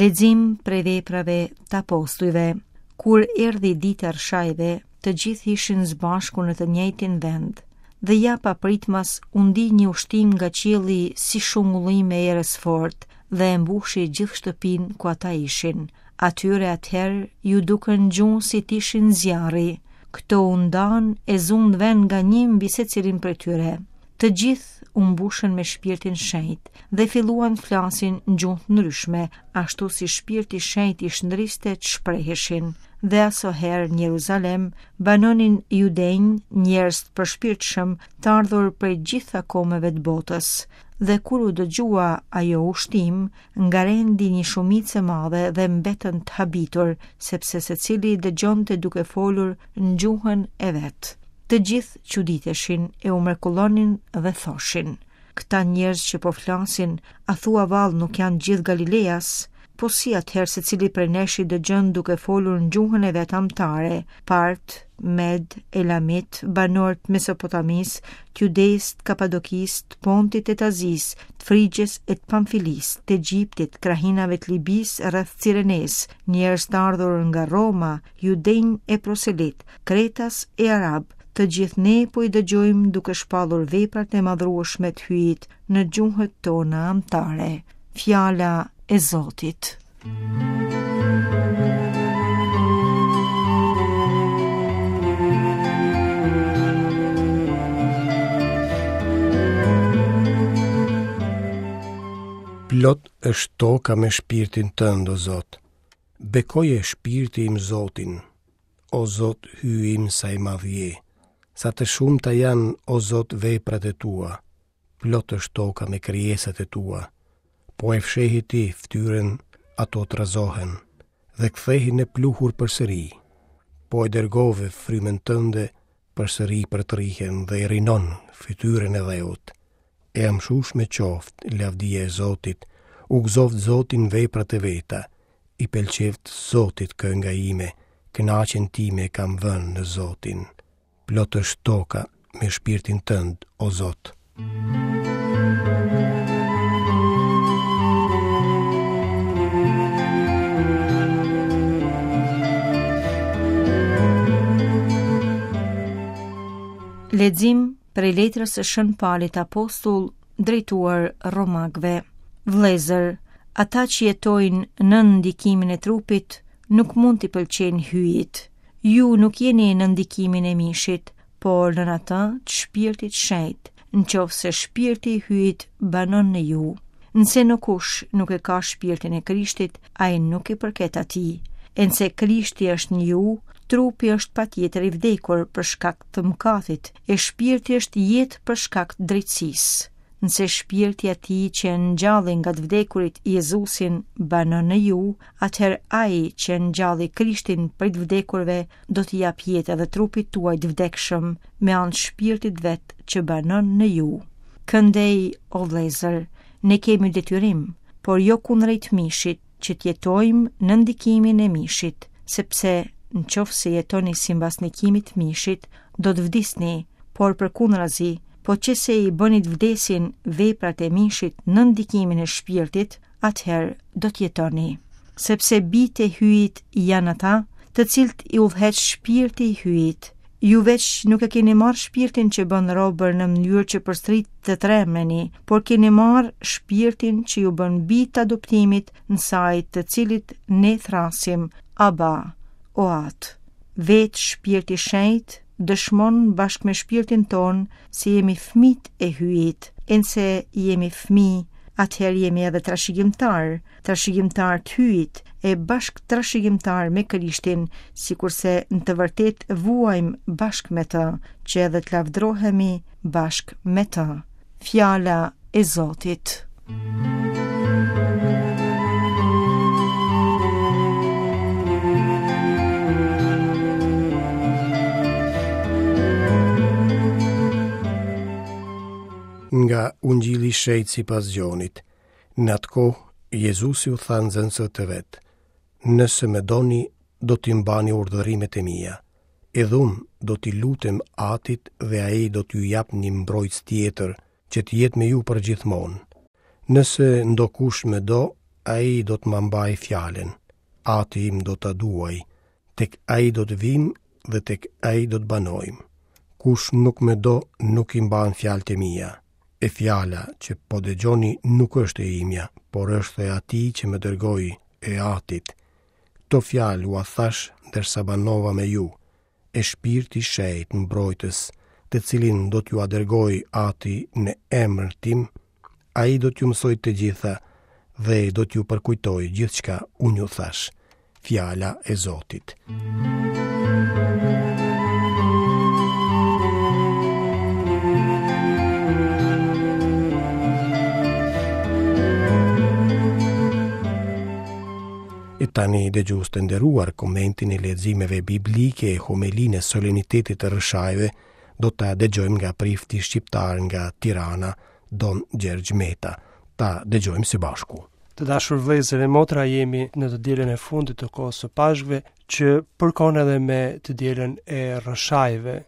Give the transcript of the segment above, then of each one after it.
Lexim prej veprave të apostujve. Kur erdhi dita e Rrëshajve, të gjithë ishin së bashku në të njëjtin vend. Dhe ja papritmas u ndi një ushtimë nga qielli si shungullimë e erës së fortë dhe e mbushi gjithë shtëpinë ku ata ishin. Atyre atëherë iu dukën gjuhë si të ishin zjarri. Këto u ndanë e zunë vend nga një mbi secilin prej tyre. Të gjithë u mbushën me shpirtin shenjt dhe filluan të flasin në gjuhë të ndryshme, ashtu si shpirti i shenjtë i shndriste të shpreheshin. Dhe asoherë në Jeruzalem banonin judenj, njerëz të përshpirtshëm, të ardhur prej gjitha kombeve të botës. Dhe kur u dëgjua ajo ushtimë, ngarendi një shumicë e madhe dhe mbetën të habitur, sepse secili dëgjonte duke folur në gjuhën e vet. Të gjithë çuditeshin e u mrekullonin dhe thoshin, Këta njerëz që po flasin, a thua vallë nuk janë gjithë Galileas? Po si atëherë secili prej nesh i dëgjon duke folur në gjuhën e vet amtare, Part, Med, Elamit, banorë të Mesopotamisë, të Judesë, të Kapadokisë, të Pontit e të Azisë, të Frigjes e të Pamfilisë, të Egjiptit, krahinave të Libisë rreth Cirenesë, njerëz të ardhur nga Roma, judenj e proselitë, kretas e arabë, të gjithë ne po i dëgjojmë duke shpallur veprat e madhërueshme të Hyjit në gjuhët tona amtare. Fjala e Zotit. Plot është toka me shpirtin tënd, o Zot. Bekoje shpirti im Zotin, o Zot Hyji im sa i madh je. Sa të shumta janë, o Zot, veprat e tua. Plot është toka me krijesat e tua. Po e fshehe ti fytyrën, ato trazohen dhe kthehen në pluhur përsëri. Po e dërgove frymën tënde, përsëri përtrihen dhe e rinon fytyrën e dheut. E amshueshme qoftë lavdia e Zotit, u gëzoftë Zoti në veprat e veta, i pëlqeftë Zotit kënga ime, kënaqjen time e kam vënë në Zotin. Plot është toka me shpirtin tënd, o Zot. Lexim prej letrës së Shën Palit Apostull drejtuar Romakëve. Vëllezër, ata që jetojnë nën ndikimin e trupit nuk mund t'i pëlqejnë Hyjit. Ju nuk jeni nën ndikimin e mishit, por nën atë të shpirtit shenjt, në qoftë se shpirti i Hyjit banon në ju. Nëse ndokush nuk e ka shpirtin e Krishtit, ai nuk i përket atij. E nëse Krishti është në ju, trupi është patjetër i vdekur për shkak të mëkatit, e shpirti është jetë për shkak të drejtësisë. Nëse shpirti i atij që e ngjalli nga të vdekurit Jezusin banon në ju, atëherë ai që e ngjalli Krishtin prej të vdekurve do t'i japë jetë edhe trupit tuaj të vdekshëm me anë të shpirtit vet që banon në ju. Këndej, o vëllezër, ne kemi detyrim, por jo kundrejt mishit, që të jetojmë nën ndikimin e mishit, sepse në qoftë se jetoni simbas ndikimit të mishit, do të vdisni, por përkundrazi, po qe se i bëni të vdesin veprat e mishit nën ndikimin e shpirtit, atëherë do të jetoni. Sepse bijtë e Hyjit janë ata, të cilët i udhëheq shpirti i Hyjit. Ju veç nuk e keni marrë shpirtin që bën robër në mënyrë që përsëri të trembeni, por keni marrë shpirtin që ju bën bij të adoptimit në sajë të cilit ne thërrasim Aba, o Atë. Vetë shpirti i shenjtë dëshmon bashkë me shpirtin tonë se jemi fëmijët e Hyjit, e nëse jemi fëmijë, atëherë jemi edhe trashëgimtarë, trashëgimtarë të Hyjit e bashkëtrashëgimtarë me Krishtin, sikurse në të vërtetë vuajmë bashkë me të, që edhe të lavdrohemi bashkë me të. Fjala e Zotit. Nga Ungjilli i Shenjtë sipas Gjonit. Në atë kohë, Jezusi u tha nxënësve të vet, Nëse më doni, do t'i mbani urdhërimet e mia. Edhe unë do t'i lutem Atit dhe ai do t'ju japë një mbrojtës tjetër, që të jetë me ju përgjithmonë. Nëse ndokush më do, ai do të ma mbajë fjalën. Ati im do ta duajë, tek ai do të vijmë dhe tek ai do të banojmë. Kush nuk më do, nuk i mban fjalët e mia. E fjala që po dëgjoni nuk është e imja, por është e atij që më dërgoi, e Atit. Këto fjalë ua thashë ndërsa banova me ju. E Shpirti i Shenjtë mbrojtës, të cilin do t'jua dërgojë Ati në emër tim, ai do t'ju mësojë të gjitha dhe do t'ju përkujtojë gjithçka unë ju thashë. Fjala e Zotit. E tani dëgjues të nderuar komentin e leximeve biblike e homelinë e solemnitetit të Rrëshajve do ta dëgjojmë nga prifti shqiptar nga Tirana, Don Gjergj Meta. Ta dëgjojmë së bashku. Të dashur vëllezër e motra, jemi në të dielën e fundit të kohës së Pashkëve, që përkon edhe me të dielën e Rrëshajve.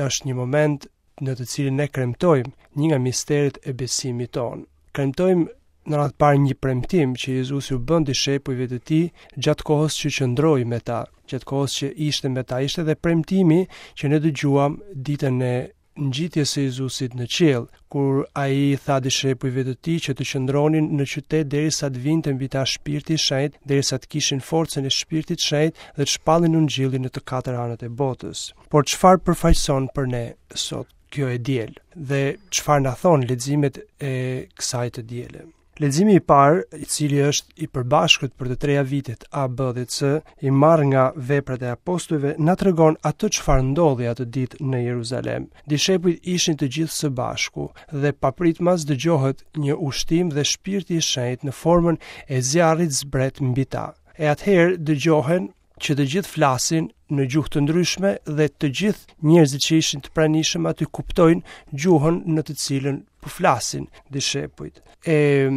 Është një moment në të cilin ne kremtojmë një nga misteret e besimit tonë. Kremtojmë në radhë të parë një premtim që Jezusi u bën dishepujve të tij gjatë kohës që qëndroi me ta, gjatë kohës që ishte me ta. Ishte edhe premtimi që ne dëgjuam ditën e ngjitjes së Jezusit në qiell, kur ai i tha dishepujve të tij që të qëndronin në qytet derisa të vinte mbi ta Shpirti i Shenjtë, derisa të kishin forcën e Shpirtit të Shenjtë dhe të shpallnin Ungjillin në të katër anët e botës. Por çfarë përfaqëson për ne sot kjo e diel dhe çfarë na thonë leximet e kësaj të diele? Leximi i parë, i cili është i përbashkët për të treja vitet A, B dhe C, i marrë nga veprat e apostujve, na tregon atë çfarë ndodhi atë ditë në Jeruzalem. Dishepujt ishin të gjithë së bashku dhe papritmas dëgjohet një ushtim dhe shpirti i shenjtë në formën e zjarrit zbret mbi ta. E atëherë dëgjohen që të gjithë flasin në gjuhë të ndryshme dhe të gjithë njerëzit që ishin të pranishëm aty kuptojnë gjuhën në të cilën po flasin dishepujt. E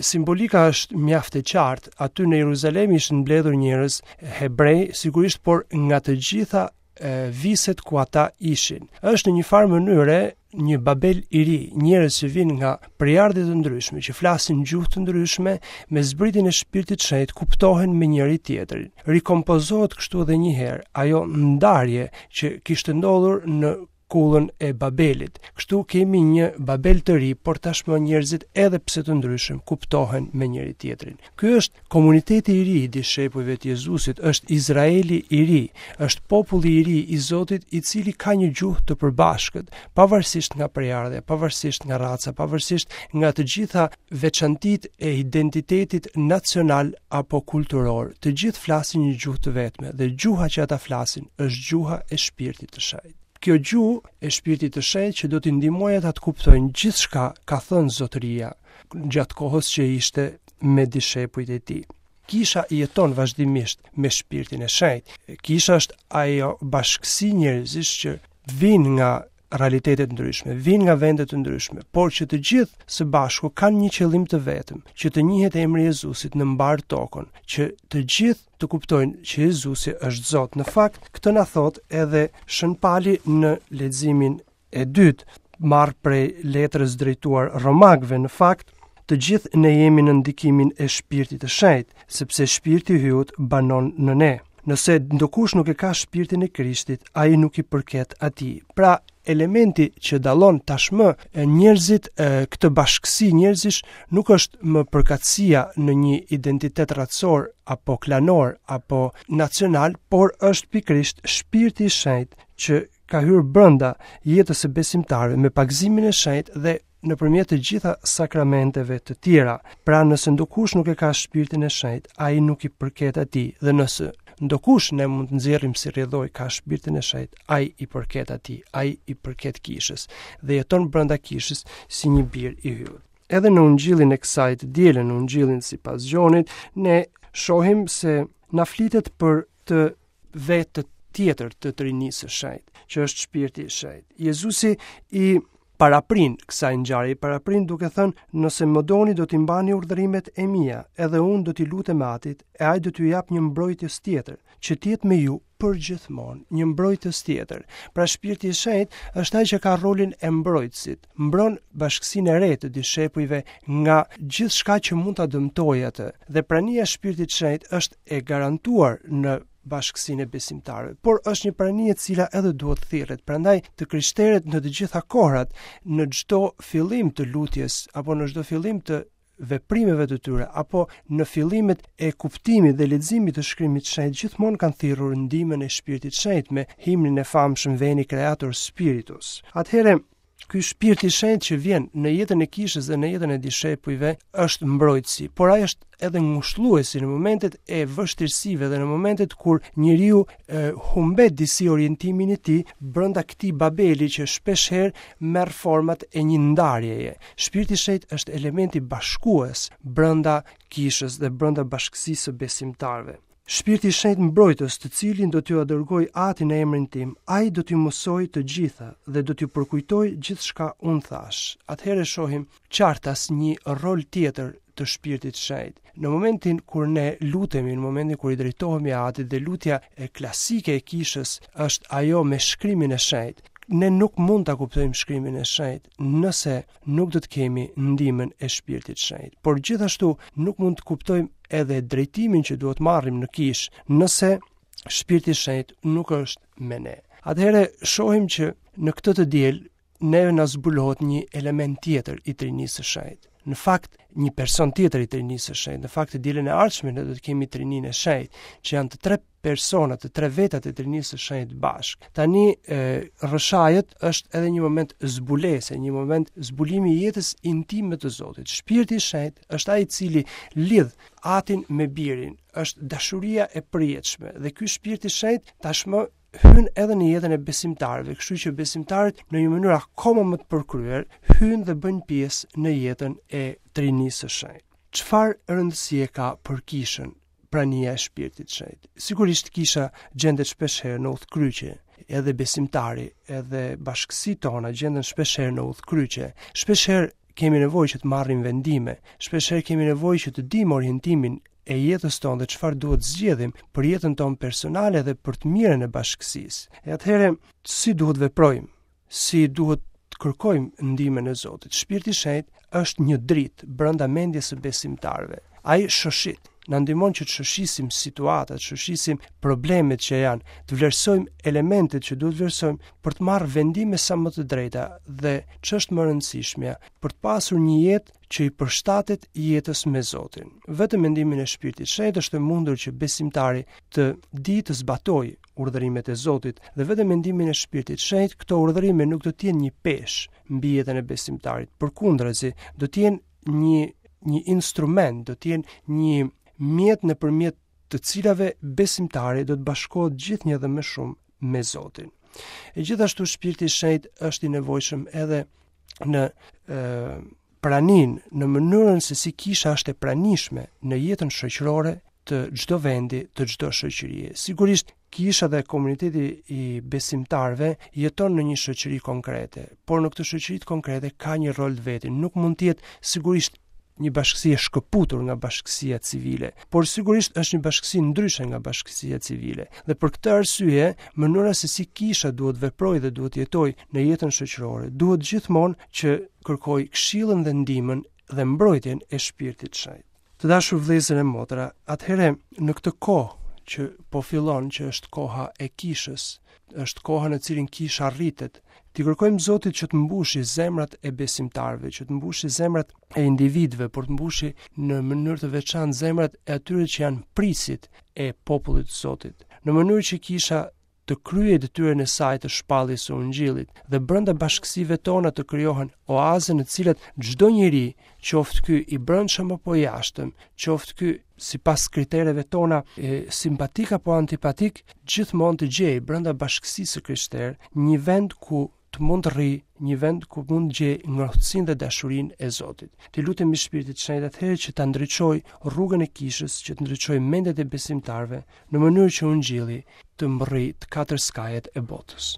simbolika është mjaft e qartë. Aty në Jeruzalem ishin mbledhur njerëz hebrej, sigurisht, por nga të gjitha e, viset ku ata ishin. Është në një farë mënyre një Babel i ri, njerëz që vijnë nga prejardhje të ndryshme, që flasin gjuhë të ndryshme, me zbritjen e Shpirtit të Shenjtë kuptohen me njëri tjetrin. Rikompozohet kështu edhe një herë ajo ndarje që kishte ndodhur në kullën e Babelit. Kështu kemi një Babel të ri, por tashmë njerëzit edhe pse të ndryshëm kuptohen me njëri tjetrin. Ky është Komuniteti i ri i dishepujve të Jezusit është Izraeli i ri, është populli i ri i Zotit i cili ka një gjuhë të përbashkët, pavarësisht nga prejardhja, pavarësisht nga raca, pavarësisht nga të gjitha veçantitë e identitetit nacional apo kulturor. Të gjithë flasin një gjuhë të vetme dhe gjuha që ata flasin është gjuha e Shpirtit të Shenjtë. Kjo gjuhë e Shpirtit të Shenjtë që do t'i ndihmojë ata të kuptojnë gjithçka ka thënë Zotëria gjatë kohës që ishte me dishepujt e tij. Kisha jeton vazhdimisht me shpirtin e shenjtë. Kisha është ajo bashkësi njerëzish që vijnë nga realitete të ndryshme, vijnë nga vende të ndryshme, por që të gjithë së bashku kanë një qëllim të vetëm, që të njihet emri i Jezusit në mbarë tokën, që të gjithë të kuptojnë që Jezusi është Zot. Në fakt, këtë na thotë edhe Shën Pali në leximin e dytë, marrë prej letrës drejtuar Romakëve, në fakt, të gjithë ne jemi në ndikimin e shpirtit të shenjtë, sepse shpirti i Hyjut banon në ne. Nëse ndokush nuk e ka shpirtin e Krishtit, ai nuk i përket atij. Pra, elementi që dallon tashmë njerëzit këtë bashkësi njerëzish nuk është më përkatësia në një identitet racor apo klanor apo nacional, por është pikërisht shpirti i shenjtë që ka hyrë brenda jetës së besimtarëve me pagëzimin e shenjtë dhe nëpërmjet të gjitha sakramenteve të tjera. Pra nëse ndokush nuk e ka shpirtin e shenjtë, ai nuk i përket atij dhe nëse ndokush ne mund të nxjerrim si rrjedhojë ka shpirtin e shenjtë, ai i përket atij, ai i përket kishës dhe jeton brenda kishës si një bir i Hyjut. Edhe në ungjillin e kësaj të diele, në ungjillin sipas Gjonit, ne shohim se na flitet për të vetë tjetër të Trinisë së Shenjtë, që është Shpirti i Shenjtë. Jezusi i. paraprin kësaj ngjarje, paraprin duke thënë, nëse më doni do t'i mbani urdhërimet e mia, edhe unë do t'i lutem Atit, e ai do t'ju japë një mbrojtës tjetër, që të jetë me ju përgjithmonë, një mbrojtës tjetër. Pra Shpirti i Shenjtë është ai që ka rolin e mbrojtësit, mbron bashkësinë e re të dishepujve nga gjithçka që mund ta dëmtojë atë. Dhe prania e Shpirtit të Shenjtë është e garantuar në bashkësinë e besimtarëve, por është një prani e cila edhe duhet thirret. Prandaj të krishterët në të gjitha kohrat, në çdo fillim të lutjes apo në çdo fillim të veprimeve të tyre apo në fillimet e kuptimit dhe leximit të shkrimit të shenjtë gjithmonë kanë thirrur ndihmën e Shpirtit të Shenjtë me himnin e famshëm Veni Creator Spiritus. Atëherë ky shpirt i shenjtë që vjen në jetën e kishës dhe në jetën e dishepujve është mbrojtësi, por ai është edhe ngushëlluesi në momentet e vështirësive dhe në momentet kur njeriu e, humbet disi orientimin e tij brenda këtij babeli që shpeshherë merr format e një ndarjeje. Shpirti i Shenjtë është elementi bashkues brenda kishës dhe brenda bashkësisë së besimtarëve. Shpirti i Shenjtë mbrojtës, të cilin do t'jua dërgojë Ati në emrin tim, ai do t'ju mësojë të gjitha dhe do t'ju përkujtojë gjithçka unë thashë. Atëherë shohim qartas një rol tjetër të Shpirtit të Shenjtë. Në momentin kur ne lutemi, në momentin kur i drejtohemi Atit dhe lutja e klasike e kishës është ajo me shkrimin e shenjtë, ne nuk mund ta kuptojmë shkrimin e shenjtë nëse nuk do të kemi ndihmën e Shpirtit të Shenjtë. Por gjithashtu nuk mund të kuptojmë edhe drejtimin që duhet marrim në kishë nëse Shpirti i Shenjtë nuk është me ne. Atëherë shohim që në këtë të diel neve na zbulohet një element tjetër i Trinisë së Shenjtë. Në fakt, një person tjetër i Trinisë së Shenjtë. Në fakt, të dielën e ardhshme ne do të kemi Trininë e Shenjtë, që janë të tre persona, të tre vetat e Trinisë së Shenjtë bashkë. Tani e, rrëshajët është edhe një moment zbulese, një moment zbulimi i jetës intime të Zotit. Shpirti i Shenjtë është ai i cili lidh Atin me Birin, është dashuria e përjetshme dhe ky Shpirt i Shenjtë tashmë hyn edhe në jetën e besimtarëve, kështu që besimtarët në një mënyrë akoma më të përkryer hyjnë dhe bëjnë pjesë në jetën e Trinisë së Shenjtë. Çfarë rëndësie ka për kishën prania e Shpirtit të Shenjtë? Sigurisht kisha gjendet shpeshherë në udhëkryqe, edhe besimtari, edhe bashkësitë tona gjenden shpeshherë në udhëkryqe. Shpeshherë kemi nevojë që të marrim vendime, shpeshherë kemi nevojë që të dimë orientimin e jetës tonë dhe çfarë duhet zgjedhim për jetën tonë personale dhe për të mirën e bashkësisë. E atëherë si duhet veprojmë? Si duhet të kërkojmë ndihmën e Zotit? Shpirti i Shenjtë është një dritë brenda mendjes së besimtarëve. Ai shoshit, na ndihmon që të shoshisim situatat, të shoshisim problemet që janë, të vlerësojmë elementet që duhet vlerësojmë për të marrë vendime sa më të drejta dhe ç'është më e rëndësishmja, për të pasur një jetë që i përshtatet jetës me Zotin. Vetëm me ndihmën e Shpirtit të Shenjtë është e mundur që besimtari të dijë të zbatojë urdhërimet e Zotit dhe vetëm me ndihmën e Shpirtit të Shenjtë këto urdhërime nuk do të jenë një peshë mbi jetën e besimtarit. Përkundrazi, do të jenë një një instrument, do të jenë një mjet nëpërmjet të cilave besimtari do të bashkohet gjithnjë dhe më shumë me Zotin. E gjithashtu Shpirti i Shenjtë është i nevojshëm edhe në e, praninë, në mënyrën se si kisha është e pranishme në jetën shoqërore të çdo vendi, të çdo shoqërie. Sigurisht, kisha dhe komuniteti i besimtarëve jeton në një shoqëri konkrete, por në këtë shoqëri konkrete ka një rol të vetin. Nuk mund të jetë sigurisht një bashkësi e shkëputur nga bashkësia civile, por sigurisht është një bashkësi ndryshe nga bashkësia civile. Dhe për këtë arsye, mënyra se si kisha duhet veprojë dhe duhet jetojë në jetën shoqërore, duhet gjithmonë që kërkojë këshillën dhe ndihmën dhe mbrojtjen e shpirtit të shenjtë. Të dashur vëllezër e motra, atëherë në këtë kohë që po fillon, që është koha e kishës, është koha në cilin kisha rritet, t'i kërkojmë Zotit që të mbushi zemrat e besimtarëve, që të mbushi zemrat e individëve, por të mbushi në mënyrë të veçantë zemrat e atyre që janë prijësit e popullit të Zotit, në mënyrë që kisha të kryejë detyrën e saj të shpalljes së ungjillit dhe brenda bashkësive tona të krijohen oaze në të cilat çdo njeri, qoftë ky i brendshëm apo i jashtëm, qoftë ky sipas kritereve tona e, simpatik apo antipatik, gjithmonë të gjejë brenda bashkësisë së krishterë një vend ku të mund të rrijë, një vend ku mund të gjejë ngrohtësinë dhe dashurinë e Zotit. T'i lutemi Shpirtit të Shenjtë atëherë që ta ndriçojë rrugën e kishës, që të ndriçojë mendjet e besimtarëve, në mënyrë që ungjilli të mbërrijë të katër skajet e botës.